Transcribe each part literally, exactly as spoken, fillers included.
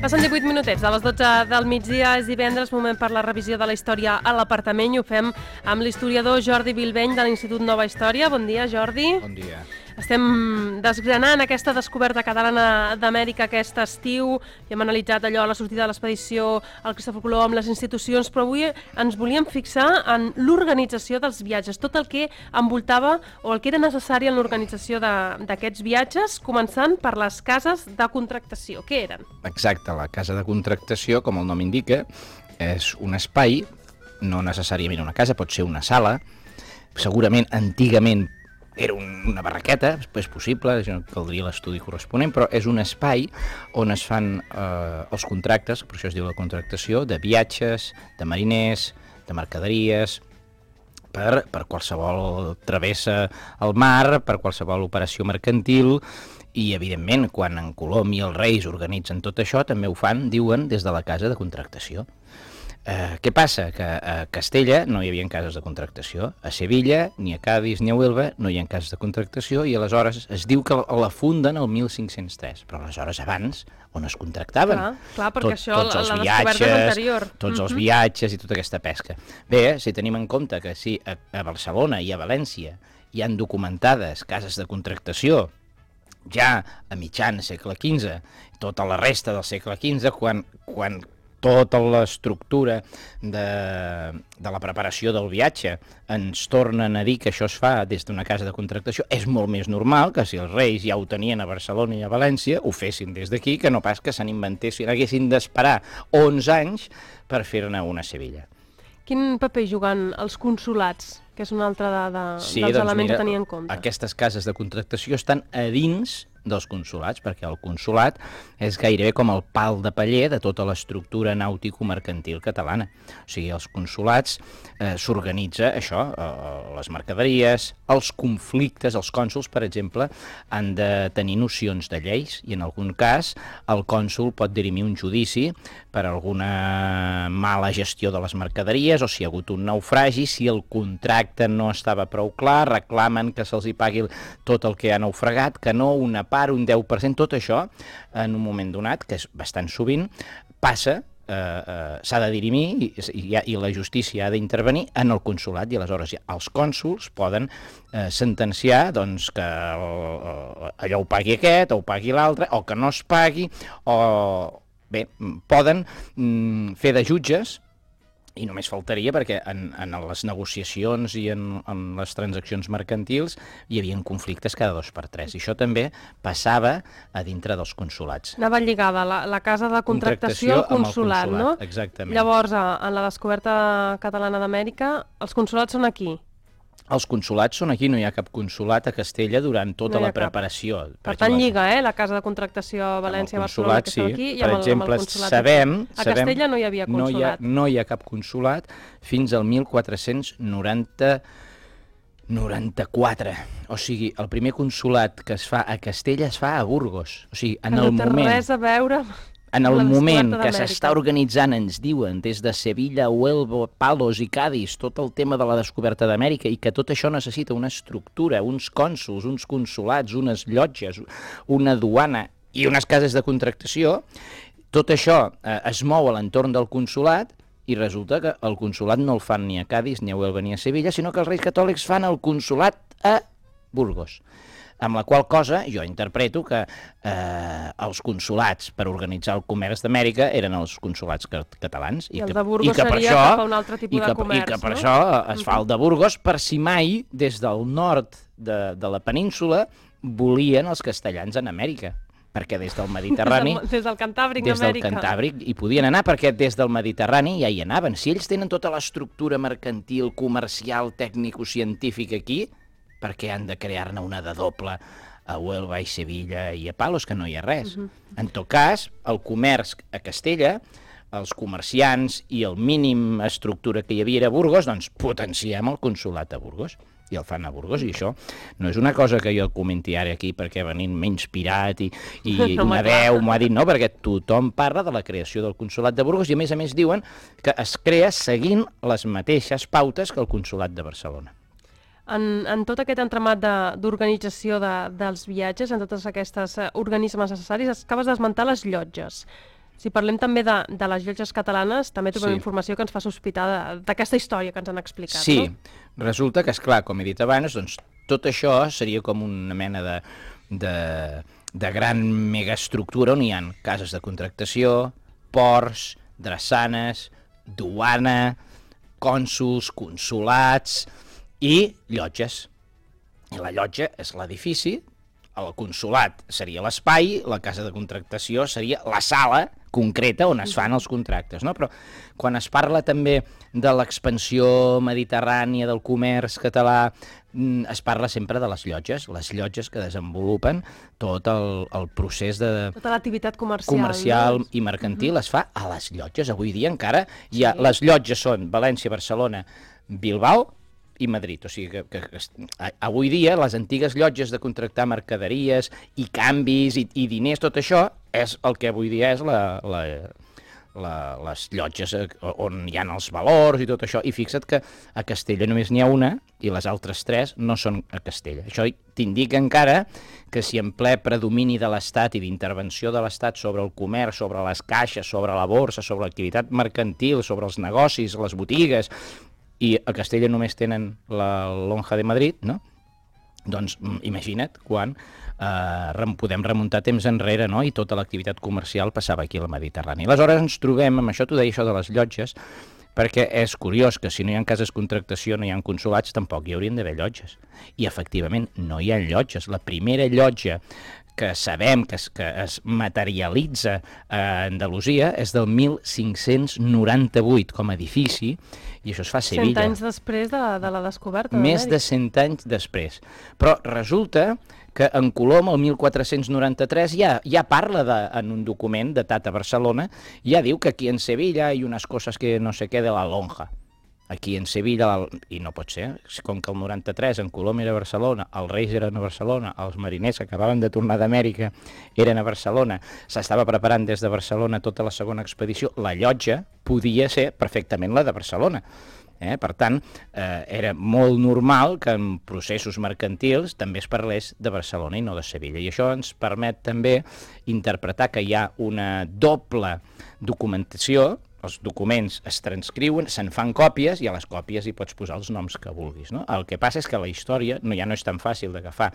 Passen divuit minutets de les dotze del migdia, és divendres, moment per la revisió de la història a l'apartament, i ho fem amb l'historiador Jordi Bilbeny de l'Institut Nova Història. Bon dia, Jordi. Bon dia. Estem desgranant aquesta descoberta catalana d'Amèrica aquest estiu i hem analitzat allò, la sortida de l'expedició, el Cristòfor Colom, les institucions, però avui ens volíem fixar en l'organització dels viatges, tot el que envoltava o el que era necessari en l'organització d'aquests viatges, començant per les cases de contractació. Què eren? Exacte, la casa de contractació, com el nom indica, és un espai, no necessàriament una casa, pot ser una sala, segurament antigament era una barraqueta, és possible, això caldria l'estudi corresponent, però és un espai on es fan eh, els contractes, per això es diu la contractació, de viatges, de mariners, de mercaderies, per, per qualsevol travessa al mar, per qualsevol operació mercantil, i evidentment quan en Colom i els Reis organitzen tot això també ho fan, diuen, des de la casa de contractació. Eh, què passa? Que a Castella no hi havia cases de contractació, a Sevilla, ni a Cádiz ni a Huelva no hi ha cases de contractació, i aleshores es diu que la funden el mil cinc-cents tres, però aleshores abans on es contractaven? Clar, clar perquè Tot, això, tots els la viatges, descoberta és anterior. Tots uh-huh. els viatges i tota aquesta pesca. Bé, si tenim en compte que sí, a, a Barcelona i a València hi han documentades cases de contractació ja a mitjan segle quinze, tota la resta del segle quinze, quan, quan tota l'estructura de, de la preparació del viatge ens tornen a dir que això es fa des d'una casa de contractació, és molt més normal que si els Reis ja ho tenien a Barcelona i a València, ho fessin des d'aquí, que no pas que se n'inventessin, haguessin d'esperar onze anys per fer-ne una a Sevilla. Quin paper juguen els consolats, que és un altre de, de, sí, dels doncs elements mira, a tenir en compte? Aquestes cases de contractació estan a dins dels consolats, perquè el consolat és gairebé com el pal de paller de tota l'estructura nàutico-mercantil catalana. O sigui, els consolats eh, s'organitza això, eh, les mercaderies, els conflictes, els cònsols, per exemple, han de tenir nocions de lleis, i en algun cas el cònsol pot dirimir un judici per alguna mala gestió de les mercaderies, o si hi ha hagut un naufragi, si el contracte no estava prou clar, reclamen que se'ls hi pagui tot el que ha naufragat, que no una part, un deu per cent, tot això, en un moment donat, que és bastant sovint, passa, eh, eh, s'ha de dirimir i, i, i la justícia ha d'intervenir en el consolat, i aleshores ja, els cònsols poden eh, sentenciar doncs, que el, allò ho pagui aquest, o ho pagui l'altre, o que no es pagui, o bé, poden mm, fer de jutges. I només faltaria perquè en, en les negociacions i en, en les transaccions mercantils hi havia conflictes cada dos per tres. I això també passava a dintre dels consolats. Anava lligada la, la casa de contractació al consolat, consolat, no? Exactament. Llavors, en la descoberta catalana d'Amèrica, els consolats són aquí? Els consolats són aquí, no hi ha cap consolat a Castella durant tota no la preparació. Per, per tant, lliga, eh, la casa de contractació a València, a Barcelona, que estem aquí, i amb, per el, exemple, amb el consolat sabem, aquí. A Castella no hi havia consolat. No hi ha, no hi ha cap consolat fins al mil quatre-cents noranta-quatre. O sigui, el primer consolat que es fa a Castella es fa a Burgos. O sigui, en que el no té moment... res a veure... En el moment que s'està organitzant, ens diuen, des de Sevilla, Huelva, Palos i Cádiz, tot el tema de la descoberta d'Amèrica, i que tot això necessita una estructura, uns cònsols, uns consolats, unes llotges, una duana i unes cases de contractació, tot això eh, es mou a l'entorn del consolat, i resulta que el consolat no el fan ni a Cádiz, ni a Huelva, ni a Sevilla, sinó que els Reis Catòlics fan el consolat a Burgos. Amb la qual cosa jo interpreto que eh, els consolats per organitzar el comerç d'Amèrica eren els consolats catalans. I, I el que, de Burgos i que seria això, cap a un altre tipus i que, de comerç, i que per no? això es fa el de Burgos, per si mai des del nord de, de la península volien els castellans en Amèrica, perquè des del Mediterrani... Des del, des del Cantàbric des d'Amèrica. Des del Cantàbric hi podien anar, perquè des del Mediterrani ja hi anaven. Si ells tenen tota l'estructura mercantil, comercial, tècnico-científica aquí, perquè han de crear-ne una de doble a Huelva i Sevilla i a Palos, que no hi ha res. Uh-huh. En tot cas, el comerç a Castella, els comerciants i el mínim estructura que hi havia a Burgos, doncs potenciem el consolat a Burgos. I el fan a Burgos, i això no és una cosa que jo comenti ara aquí perquè venint menys pirat i, i no, una veu m'ho ha dit, no, perquè tothom parla de la creació del consolat de Burgos i a més a més diuen que es crea seguint les mateixes pautes que el consolat de Barcelona. En, en tot aquest entramat d'organització de, de, dels viatges, en tots aquests uh, organismes necessaris, acabes d'esmentar les llotges. Si parlem també de, de les llotges catalanes, també trobem Sí. informació que ens fa sospitar de- d'aquesta història que ens han explicat, Sí, no? resulta que, esclar, com he dit abans, doncs, tot això seria com una mena de, de, de gran megaestructura on hi ha cases de contractació, ports, drassanes, duana, cònsols, consolats i llotges. I la llotja és l'edifici, el consolat seria l'espai, la casa de contractació seria la sala concreta on es fan els contractes, no? Però quan es parla també de l'expansió mediterrània, del comerç català, es parla sempre de les llotges, les llotges que desenvolupen tot el, el procés de Tota l'activitat comercial. comercial no? i mercantil es fa a les llotges. Avui dia encara hi ha, Sí. les llotges són València, Barcelona, Bilbao i Madrid. O sigui que, que, que avui dia les antigues llotges de contractar mercaderies i canvis i, i diners, tot això és el que avui dia és la, la, la, les llotges on hi ha els valors i tot això. I fixa't que a Castella només n'hi ha una i les altres tres no són a Castella. Això t'indica encara que si en ple predomini de l'Estat i d'intervenció de l'Estat sobre el comerç, sobre les caixes, sobre la borsa, sobre l'activitat mercantil, sobre els negocis, les botigues, i a Castella només tenen la lonja de Madrid, no? Doncs imagina't quan eh, rem, podem remuntar temps enrere, no? I tota l'activitat comercial passava aquí al Mediterrani. Aleshores ens trobem, amb això t'ho deia, això de les llotges, perquè és curiós que si no hi ha cases de contractació, no hi ha consolats, tampoc hi haurien d'haver llotges. I efectivament no hi ha llotges. La primera llotja que sabem que es, que es materialitza a Andalusia és del mil cinc-cents noranta-vuit com a edifici, i això es fa a Sevilla. Cent anys després de, de la descoberta Més de d'Amèrica. cent anys després. Però resulta que en Colom, el mil quatre-cents noranta-tres, ja, ja parla de, en un document datat a Barcelona, ja diu que aquí en Sevilla hay unas cosas que no sé què de la lonja. Aquí en Sevilla, la, i no pot ser, com que el noranta-tres en Colom era a Barcelona, els Reis eren a Barcelona, els mariners que acabaven de tornar d'Amèrica eren a Barcelona, s'estava preparant des de Barcelona tota la segona expedició, la llotja podia ser perfectament la de Barcelona. Eh? Per tant, eh, era molt normal que en processos mercantils també es parlés de Barcelona i no de Sevilla. I això ens permet també interpretar que hi ha una doble documentació. Els documents es transcriuen, se'n fan còpies i a les còpies hi pots posar els noms que vulguis, no? El que passa és que la història no, ja no és tan fàcil d'agafar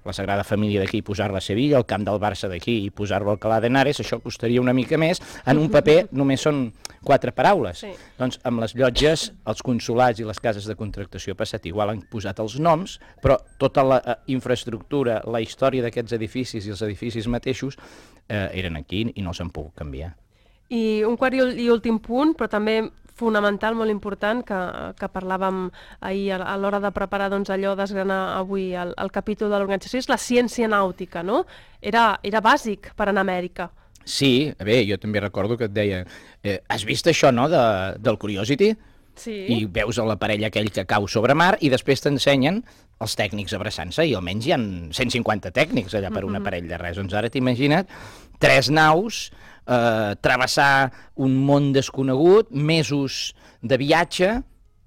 la Sagrada Família d'aquí i posar-la a Sevilla, el camp del Barça d'aquí i posar-lo al Alcalá de Henares, això costaria una mica més. En un paper només són quatre paraules. Sí. Doncs amb les llotges, els consolats i les cases de contractació ha passat igual, han posat els noms, però tota la eh, infraestructura, la història d'aquests edificis i els edificis mateixos eh, eren aquí i no s'han pogut canviar. I un quart i, i últim punt, però també fonamental, molt important, que, que parlàvem ahir a, a l'hora de preparar doncs, allò, desgranar avui el, el capítol de l'organització, és la ciència nàutica, no? Era, era bàsic per anar a Amèrica. Sí, bé, jo també recordo que et deia, eh, has vist això, no?, de, del Curiosity? Sí. I veus l'aparell aquell que cau sobre mar i després t'ensenyen els tècnics abraçant-se, i almenys hi ha cent cinquanta tècnics allà per un aparell de res. Doncs ara t'imagina't tres naus, eh, travessar un món desconegut, mesos de viatge.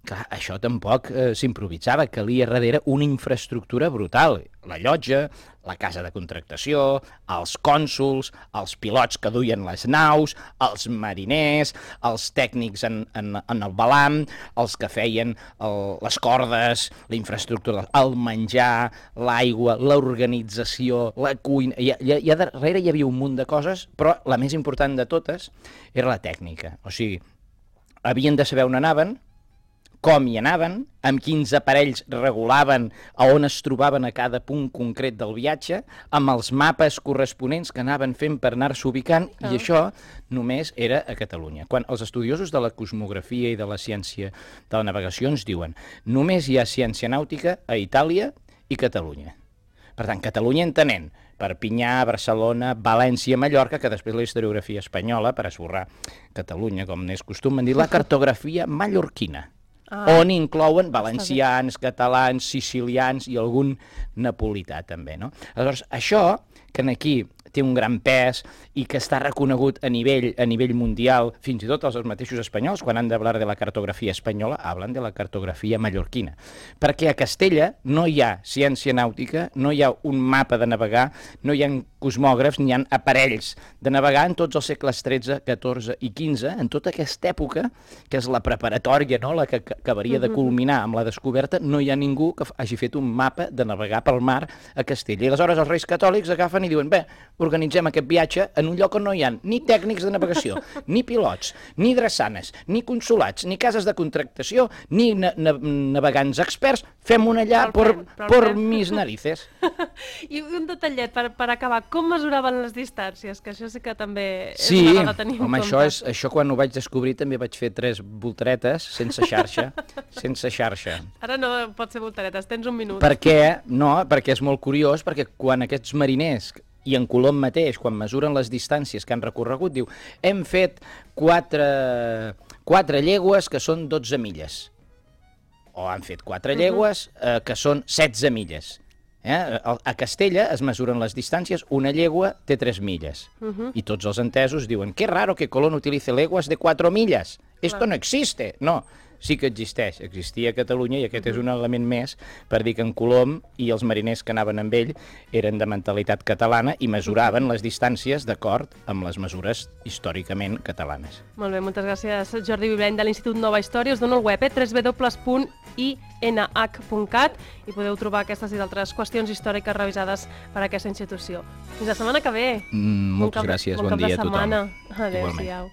Clar, això tampoc eh, s'improvisava, calia darrere una infraestructura brutal. La llotja, la casa de contractació, els cònsols, els pilots que duien les naus, els mariners, els tècnics en, en, en el balam, els que feien el, les cordes, la infraestructura, el menjar, l'aigua, l'organització, la cuina. I, i, i darrere hi havia un munt de coses, però la més important de totes era la tècnica. O sigui, havien de saber on anaven, com hi anaven, amb quins aparells regulaven a on es trobaven a cada punt concret del viatge, amb els mapes corresponents que anaven fent per anar-se ubicant, Ah. i això només era a Catalunya. Quan els estudiosos de la cosmografia i de la ciència de la navegació ens diuen només hi ha ciència nàutica a Itàlia i Catalunya. Per tant, Catalunya entenent Perpinyà, Barcelona, València, Mallorca, que després la historiografia espanyola, per esborrar Catalunya, com n'és costum, van dir la cartografia mallorquina. Ah, on inclouen valencians, catalans, sicilians i algun napolità també, no? Aleshores, això, que aquí té un gran pes i que està reconegut a nivell, a nivell mundial, fins i tot els mateixos espanyols, quan han de hablar de la cartografia espanyola, hablen de la cartografia mallorquina. Perquè a Castella no hi ha ciència nàutica, no hi ha un mapa de navegar, no hi ha cosmògrafs, ni hi ha aparells de navegar en tots els segles tretze, catorze i quinze, en tota aquesta època, que és la preparatòria, no? La que acabaria de culminar amb la descoberta, no hi ha ningú que hagi fet un mapa de navegar pel mar a Castella. I aleshores els reis catòlics agafen i diuen, bé, organitzem aquest viatge en un lloc on no hi ha ni tècnics de navegació, ni pilots, ni drassanes, ni consulats, ni cases de contractació, ni na na navegants experts, fem-ho allà per, per mis narices. I un detallet, per, per acabar, com mesuraven les distàncies? Que això sí que també és sí, una cosa a tenir en home, compte. això, és, això quan ho vaig descobrir també vaig fer tres voltaretes sense xarxa, sense xarxa. Ara no pot ser voltaretes, tens un minut. Per què? No, perquè és molt curiós, perquè quan aquests mariners, i en Colom mateix, quan mesuren les distàncies que han recorregut, diu, hem fet quatre, quatre llegües que són dotze milles. O han fet quatre llegües eh, que són setze milles. Eh? A Castella es mesuren les distàncies, una llegua té tres milles. Uh-huh. I tots els entesos diuen, que raro que Colón utilice leguas de quatre milles. Esto no existe. No, sí que existeix. Existia a Catalunya i aquest uh-huh. és un element més per dir que en Colom i els mariners que anaven amb ell eren de mentalitat catalana i mesuraven les distàncies d'acord amb les mesures històricament catalanes. Molt bé, moltes gràcies, Jordi Viblany, de l'Institut Nova Història. Us dono el web, eh? w w w punt i n h punt cat, i podeu trobar aquestes i d'altres qüestions històriques revisades per aquesta institució. Fins la setmana que ve. Mm, moltes bon gràcies, bon, bon dia a tothom. Adéu-siau.